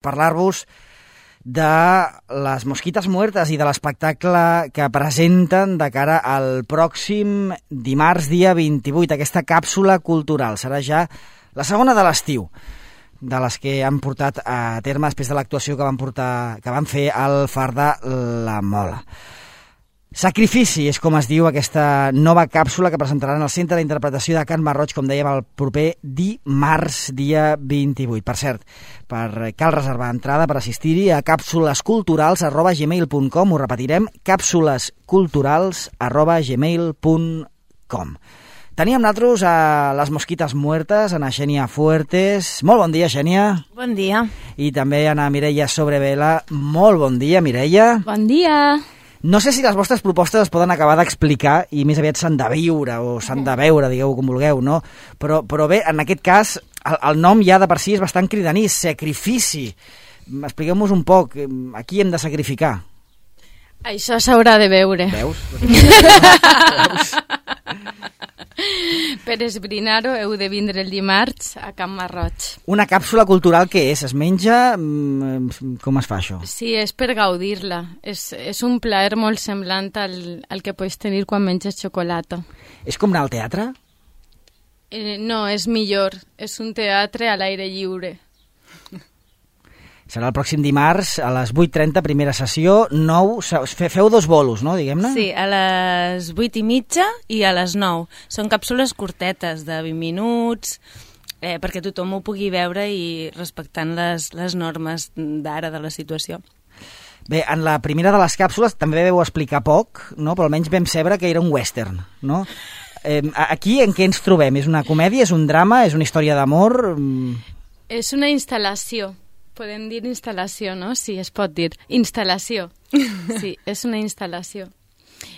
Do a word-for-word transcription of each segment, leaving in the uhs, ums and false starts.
parlar-vos de les Mosquites Muertes i de l'espectacle que presenten de cara al pròxim dimarts, dia vint-i-vuit, aquesta càpsula cultural. Serà ja la segona de l'estiu, de les que han portat a terme després de l'actuació que van portar, que van fer al Far de la Mola. Sacrifici és com es diu aquesta nova càpsula que presentaran al Centre d'Interpretació de Can Marroig, com dèiem, el proper dimarts, dia vint-i-vuit. Per cert, per, cal reservar entrada per assistir-hi a càpsulesculturals arroba gmail punt com, ho repetirem, càpsulesculturals arroba gmail punt com. Teníem nosaltres a les Mosquites Muertes, a Xènia Fuertes. Molt bon dia, Xènia. Bon dia. I també a Mireia Sobrevela. Molt bon dia, Mireia. Bon dia. No sé si les vostres propostes es poden acabar d'explicar i més aviat s'han de viure o s'han de veure, digueu com vulgueu, no? Però, però bé, en aquest cas, el, el nom ja de per si és bastant cridaní, sacrifici. Expliqueu-nos un poc, a qui hem de sacrificar? Això s'haurà de veure. Veus? Veus? Per esbrinar-ho heu de vindre el dimarts a Can Marroig. Una càpsula cultural què és? Es menja? Com es fa això? Sí, és per gaudir-la. És, és un plaer molt semblant al, al que pots tenir quan menges xocolata. És com anar al teatre? Eh, no, és millor. És un teatre a l'aire lliure. Serà el pròxim dimarts a les vuit trenta, primera sessió, nou, feu dos bolos, no, diguem-ne? Sí, a les vuit i mitja i a les nou. Són càpsules curtetes, de vint minuts, eh, perquè tothom ho pugui veure i respectant les, les normes d'ara de la situació. Bé, en la primera de les càpsules també vau explicar poc, no? Però almenys vam saber que era un western, no? Eh, aquí en què ens trobem? És una comèdia, és un drama, és una història d'amor? És una instal·lació. Podem dir instal·lació, no? Sí, es pot dir. Instal·lació. Sí, és una instal·lació.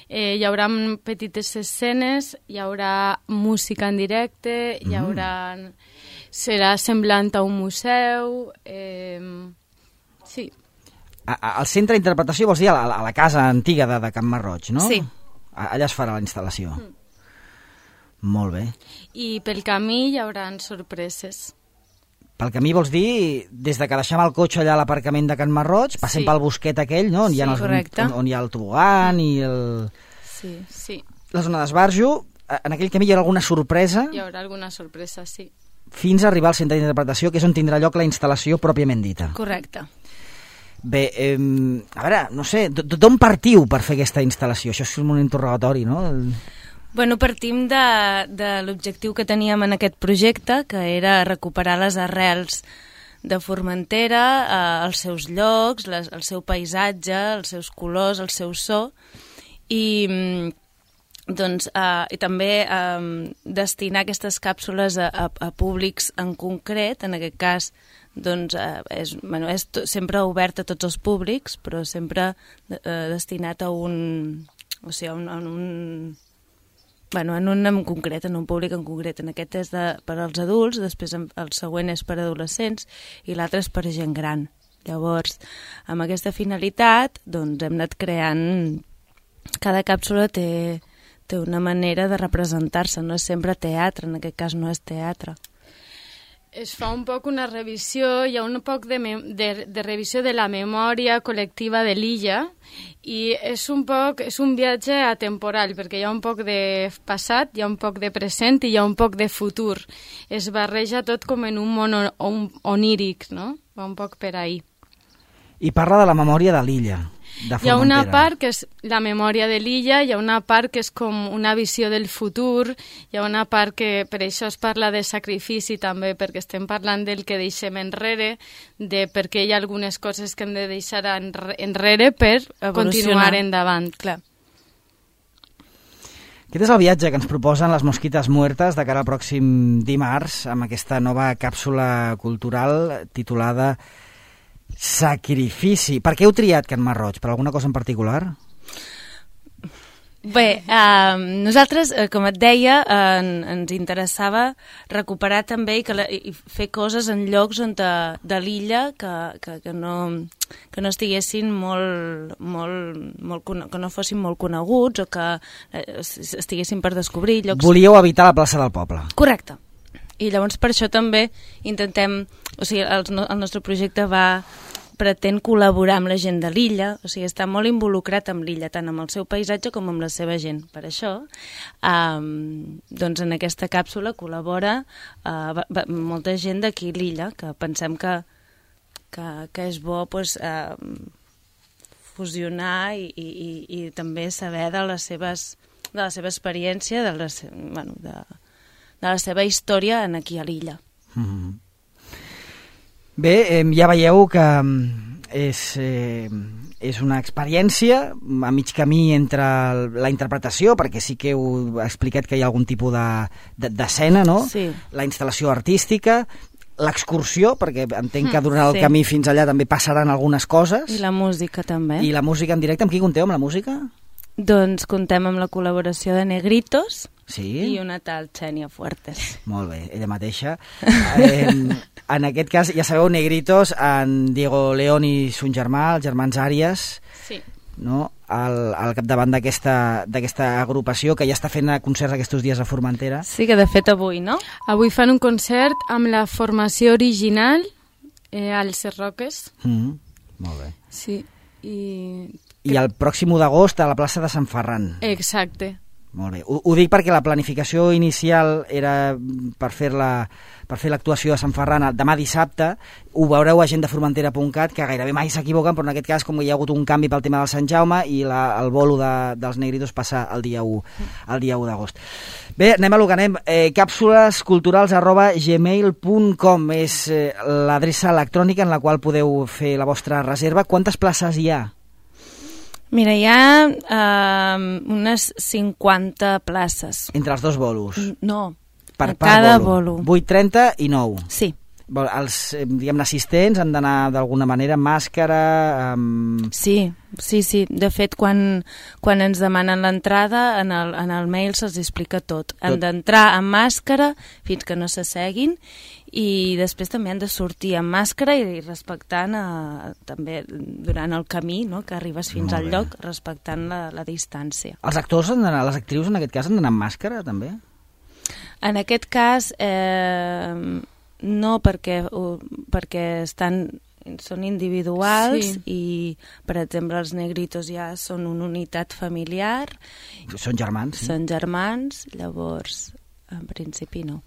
Eh, hi haurà petites escenes, hi haurà música en directe, hi haurà... serà semblant a un museu... Eh, sí. A, a, al centre d'interpretació vols dir a la, a la casa antiga de, de Can Marroig, no? Sí. A, allà es farà la instal·lació. Mm. Molt bé. I pel camí hi haurà sorpreses. Pel camí vols dir, des de que deixem el cotxe allà a l'aparcament de Can Marroig, passem sí. pel bosquet aquell, no? On, sí, hi ha els, on, on hi ha el tobogan i el... Sí, sí. La zona d'esbarjo, en aquell camí hi haurà alguna sorpresa? Hi haurà alguna sorpresa, sí. Fins a arribar al centre d'interpretació, que és on tindrà lloc la instal·lació pròpiament dita. Correcte. Bé, eh, a veure, no sé, d'on partiu per fer aquesta instal·lació? Això és un interrogatori, no? Bueno, partim de, de l'objectiu que teníem en aquest projecte, que era recuperar les arrels de Formentera, eh, els seus llocs, les, el seu paisatge, els seus colors, el seu so, i, doncs, eh, i també eh, destinar aquestes càpsules a, a, a públics en concret, en aquest cas doncs, eh, és, bueno, és to, sempre obert a tots els públics, però sempre eh, destinat a un... o sigui, a un... A un Bueno, en un en concret, en un públic en concret. En aquest és de, per als adults, després el següent és per adolescents i l'altre és per gent gran. Llavors, amb aquesta finalitat, doncs hem anat creant... Cada càpsula té, té una manera de representar-se, no és sempre teatre, en aquest cas no és teatre. Es fa un poc una revisió, hi ha un poc de, de, de revisió de la memòria col·lectiva de l'illa i és un poc, és un viatge atemporal perquè hi ha un poc de passat, hi ha un poc de present i hi ha un poc de futur. Es barreja tot com en un món on, oníric, no? Va un poc per ahí. I parla de la memòria de l'illa. Hi ha una part que és la memòria de l'illa, hi ha una part que és com una visió del futur, hi ha una part que per això es parla de sacrifici també, perquè estem parlant del que deixem enrere, de perquè hi ha algunes coses que hem de deixar enrere per continuar endavant, clar. Aquest és el viatge que ens proposen les Mosquites Muertes de cara al pròxim dimarts amb aquesta nova càpsula cultural titulada Sacrifici. Per què heu triat Can Marroig? Per alguna cosa en particular? Bé, eh, nosaltres, eh, com et deia, eh, ens interessava recuperar també i, que la, i fer coses en llocs on de, de l'illa que, que, que, no, que no estiguessin molt, molt, molt, que no fossin molt coneguts o que eh, estiguessin per descobrir llocs... Volíeu evitar la plaça del poble. Correcte. I llavors per això també intentem, o sigui, el, el nostre projecte va pretén col·laborar amb la gent de l'illa, o sigui, està molt involucrat amb l'illa, tant amb el seu paisatge com amb la seva gent. Per això, um, doncs en aquesta càpsula col·labora uh, va, va, molta gent d'aquí l'illa, que pensem que, que, que és bo pues, uh, fusionar i, i, i, i també saber de les seves, de la seva experiència, de la, bueno, de, de la seva història en aquí a l'illa. Mm-hmm. Bé, eh, ja veieu que és, eh, és una experiència a mig camí entre la interpretació, perquè sí que heu explicat que hi ha algun tipus d'escena, de, de, no? Sí. La instal·lació artística, l'excursió, perquè entenc que durant el sí. camí fins allà també passaran algunes coses. I la música també. I la música en directe, amb qui compteu, amb la música? Doncs contem amb la col·laboració de Negritos sí? i una tal Xènia Fuertes. Molt bé, ella mateixa. Eh, en aquest cas, ja sabeu, Negritos, en Diego León i son germà, els germans Àries, sí. no? al, al capdavant d'aquesta agrupació que ja està fent concerts aquests dies a Formentera. Sí, que de fet avui, no? Avui fan un concert amb la formació original eh, als Roques. Mm-hmm. Molt bé. Sí, i... I el pròxim u d'agost a la plaça de Sant Ferran. Exacte. Molt bé. Ho, ho dic perquè la planificació inicial era per fer-la per fer l'actuació a Sant Ferran demà dissabte. Ho veureu a gent de formentera punt cat, que gairebé mai s'equivoquen, però en aquest cas, com hi ha hagut un canvi pel tema del Sant Jaume, i la, el bolo de, dels Negritos passa el dia u, el dia u d'agost. Bé, anem a lo que anem. Eh, càpsules culturals arroba gmail punt com és eh, l'adreça electrònica en la qual podeu fer la vostra reserva. Quantes places hi ha? Mira, hi ha uh, unes cinquanta places. Entre els dos bolos? No, per, a cada bolo. bolo. vuit trenta i nou. Sí. Els diguem, assistents han d'anar d'alguna manera amb màscara... Amb... Sí, sí, sí. De fet, quan, quan ens demanen l'entrada, en, el, en el mail se'ls explica tot. Han tot. d'entrar amb màscara fins que no s'asseguin, i després també han de sortir amb màscara i respectant eh, també durant el camí, no?, que arribes fins al lloc, respectant la, la distància. Els actors han d'anar, les actrius en aquest cas han d'anar amb màscara també? En aquest cas eh, no, perquè, perquè estan, són individuals, sí. I per exemple els Negritos ja són una unitat familiar. Són germans? Sí? Són germans, llavors en principi no.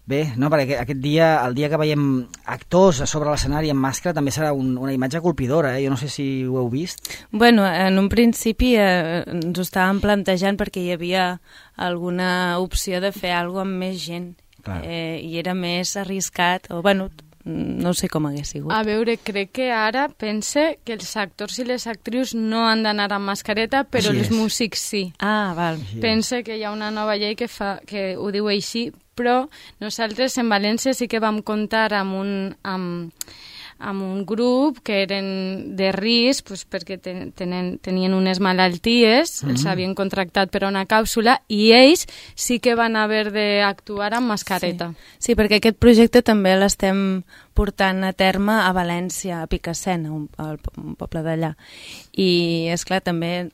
Bé, no, perquè aquest dia, el dia que veiem actors a sobre l'escenari amb màscara, també serà un, una imatge colpidora, eh? Jo no sé si ho heu vist. Bueno, en un principi eh, ens ho estàvem plantejant perquè hi havia alguna opció de fer alguna cosa amb més gent, eh, i era més arriscat, o bueno, no sé com hagués sigut. A veure, crec que ara pense que els actors i les actrius no han d'anar amb mascareta, però els músics sí. Ah, val. Pense que hi ha una nova llei que, fa, que ho diu així, però nosaltres en València sí que vam comptar amb un, amb, amb un grup que eren de risc, pues, perquè ten, tenen, tenien unes malalties, mm-hmm. els havien contractat per a una càpsula, i ells sí que van haver d'actuar amb mascareta. Sí. Sí, perquè aquest projecte també l'estem portant a terme a València, a Picassent, un, un poble d'allà. I, esclar, també...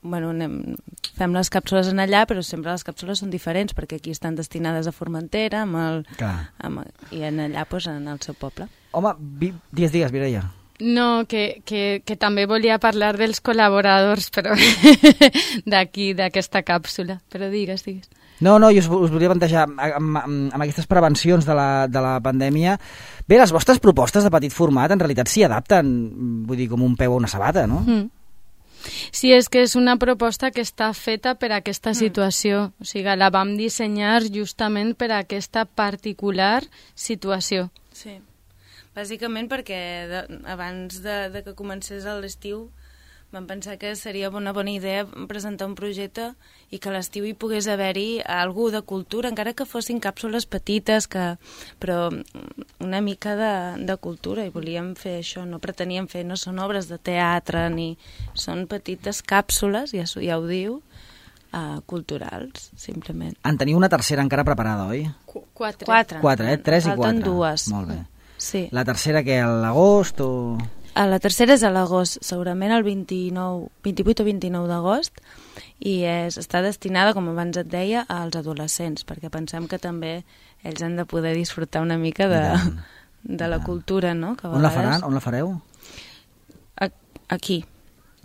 Bueno, anem, fem les càpsules en allà, però sempre les càpsules són diferents, perquè aquí estan destinades a Formentera, amb el, amb, i en allà pues, en el seu poble. Home, vi, digues, digues, Mireia. No, que, que, que també volia parlar dels col·laboradors, però d'aquí, d'aquesta càpsula. Però digues, digues. No, no, jo us, us volia plantejar, amb, amb, amb aquestes prevencions de la, de la pandèmia, bé, les vostres propostes de petit format en realitat s'hi adapten, vull dir, com un peu a una sabata, no? Mm. Sí, és que és una proposta que està feta per a aquesta situació. O sigui, la vam dissenyar justament per a aquesta particular situació. Sí, bàsicament perquè de, abans de, de que comencés l'estiu vam pensar que seria una bona idea presentar un projecte i que a l'estiu hi pogués haver-hi algú de cultura, encara que fossin càpsules petites, que, però una mica de, de cultura, i volíem fer això, no preteníem fer, no són obres de teatre, ni són petites càpsules, ja, ja ho diu, uh, culturals, simplement. En teniu una tercera encara preparada, oi? Qu quatre. Quatre. Quatre, eh? Tres i quatre. Falten dues. Molt bé. Sí. La tercera que a l'agost o...? A la tercera és a l'agost, segurament el vint-i-nou, vint-i-vuit o vint-i-nou d'agost, i és, està destinada, com abans et deia, als adolescents, perquè pensem que també ells han de poder disfrutar una mica de, de la cultura, no? Que on la faran? On la fareu? Aquí.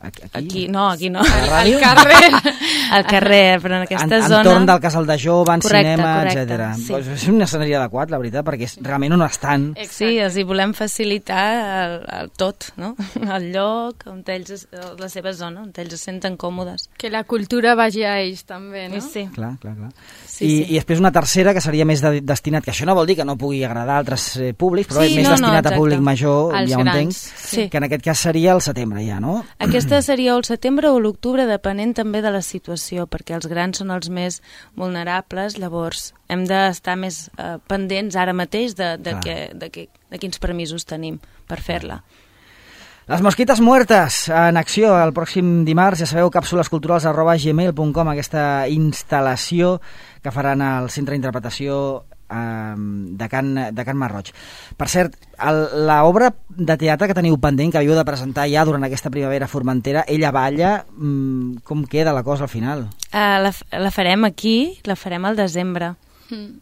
Aquí? Aquí, no, aquí no. Al carrer. Al carrer, però en aquesta en, zona... Entorn del Casal de Jove, en correcte, cinema, correcte, etcètera. sí. Pues és un escenari adequat, la veritat, perquè és realment on estan. Exacte. Sí, els hi volem facilitar el, el tot, no? El lloc, on ells, es- la seva zona, on ells es senten còmodes. Que la cultura vagi a ells també, no? Sí. Clar, clar, clar. Sí, I, sí. I després una tercera que seria més de, destinat, que això no vol dir que no pugui agradar a altres eh, públics, però Sí, és més no, no, destinat a exacte. públic major, Als ja ho entenc, grans, sí. que en aquest cas seria el setembre ja, no? Aquesta seria o el setembre o l'octubre, depenent també de la situació, perquè els grans són els més vulnerables, llavors hem d'estar més eh, pendents ara mateix de, de, Clar. que, de, que, de quins permisos tenim per fer-la. Les mosquites muertes en acció el pròxim dimarts, ja sabeu, càpsules culturals arroba gmail punt com, aquesta instal·lació que faran al Centre d'Interpretació eh, de, Can, de Can Marroig. Per cert, l'obra de teatre que teniu pendent, que havíeu de presentar ja durant aquesta primavera formentera, Ella balla, mm, com queda la cosa al final? Uh, la, la farem aquí, la farem al desembre, Mm.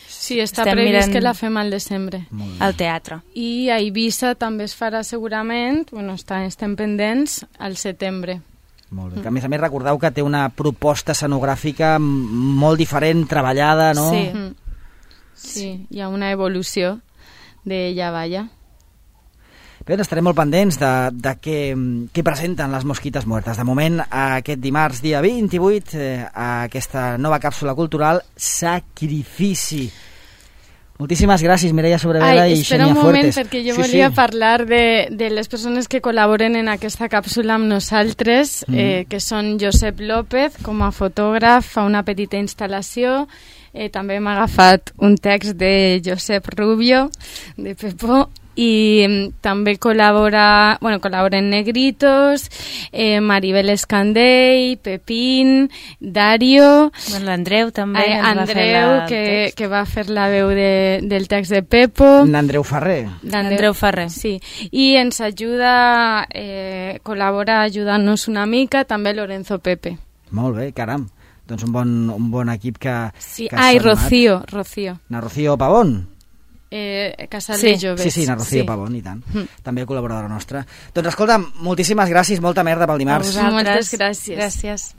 Sí, està Estem previst mirant- que la fem al desembre. al teatre. I a Eivissa també es farà segurament, bueno, està, estem pendents, al setembre. Molt bé. Que a més a més recordeu que té una proposta escenogràfica m- molt diferent, treballada, no? Sí. Mm. Sí, hi ha una evolució d'Ella balla. Bé, estarem molt pendents de, de què, què presenten les mosquites muertes. De moment, aquest dimarts, dia vint-i-vuit, eh, a aquesta nova càpsula cultural, Sacrifici. Moltíssimes gràcies, Mireia Sobrevela Ai, i espera Xenia un moment, Fuertes. perquè jo Sí, volia sí. parlar de, de les persones que col·laboren en aquesta càpsula amb nosaltres, Mm. eh, que són Josep López, com a fotògraf, fa una petita instal·lació. Eh, també m'ha agafat un text de Josep Rubio, de Pepo, i mm, també col·labora, bueno, col·laboren Negritos, eh, Maribel Escandell, Pepín, Dario, Bueno, l'Andreu també eh, ens va fer Andreu, la, que, el text. que va fer la veu de, del text de Pepo. N'Andreu Ferrer. Andreu Ferrer. Sí, i ens ajuda, eh, col·labora ajudant-nos una mica, també Lorenzo Pepe. Molt bé, caram. Doncs un bon, un bon equip que... Sí, que ah, i s'ha donat. Rocío, Rocío. Na Rocío Pavón. Eh, Casal Sí, de Joves. Sí, sí, na Rocío Sí. Pavón, i tant. Mm. També col·laboradora nostra. Doncs escolta, moltíssimes gràcies, molta merda pel A dimarts. vosaltres. Moltes Gràcies. gràcies. Gràcies.